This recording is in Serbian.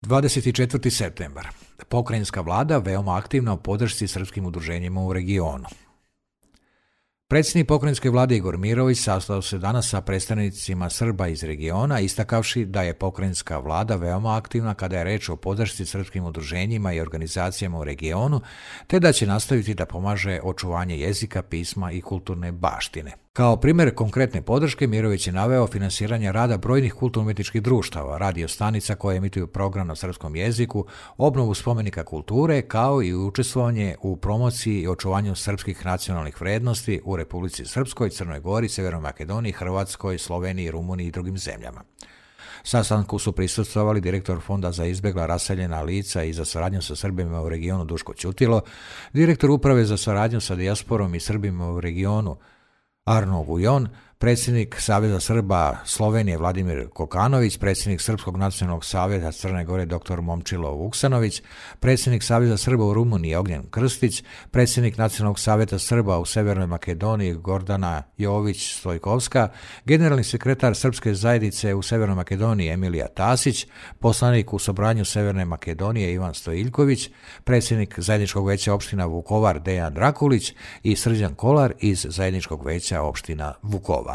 24. septembar. Pokrajinska vlada veoma aktivna u podršci srpskim udruženjima u regionu. Predsjednik pokrajinske vlade Igor Mirović sastao se danas sa predstavnicima Srba iz regiona, istakavši da je pokrajinska vlada veoma aktivna kada je reč o podršci srpskim udruženjima i organizacijama u regionu, te da će nastaviti da pomaže očuvanje jezika, pisma i kulturne baštine. Kao primjer konkretne podrške, Mirović je naveo finansiranje rada brojnih kulturno-umjetničkih društava, radio stanica koje emituju program na srpskom jeziku, obnovu spomenika kulture, kao i učestvovanje u promociji i očuvanju srpskih nacionalnih vrednosti u Republici Srpskoj, Crnoj Gori, Severnoj Makedoniji, Hrvatskoj, Sloveniji, Rumuniji i drugim zemljama. Sastanku su prisustvovali direktor Fonda za izbjegla raseljena lica i za saradnju sa Srbima u regionu Duško Ćutilo, direktor Uprave za saradnju sa dijasporom i Srbima u regionu Arno Vujon, predsjednik Saveza Srba Slovenije Vladimir Kokanović, predsjednik Srpskog nacionalnog savjeta Crne Gore dr. Momčilo Vuksanović, predsjednik Saveza Srba u Rumuniji Ognjen Krstić, predsjednik Nacionalnog savjeta Srba u Severnoj Makedoniji Gordana Jović-Stojkovska, generalni sekretar Srpske zajednice u Severnoj Makedoniji Emilija Tasić, poslanik u Sobranju Severne Makedonije Ivan Stojiljković, predsjednik Zajedničkog veća opština Vukovar Dejan Drakulić i Srđan Kolar iz Zajedničkog veća opština Vukovar.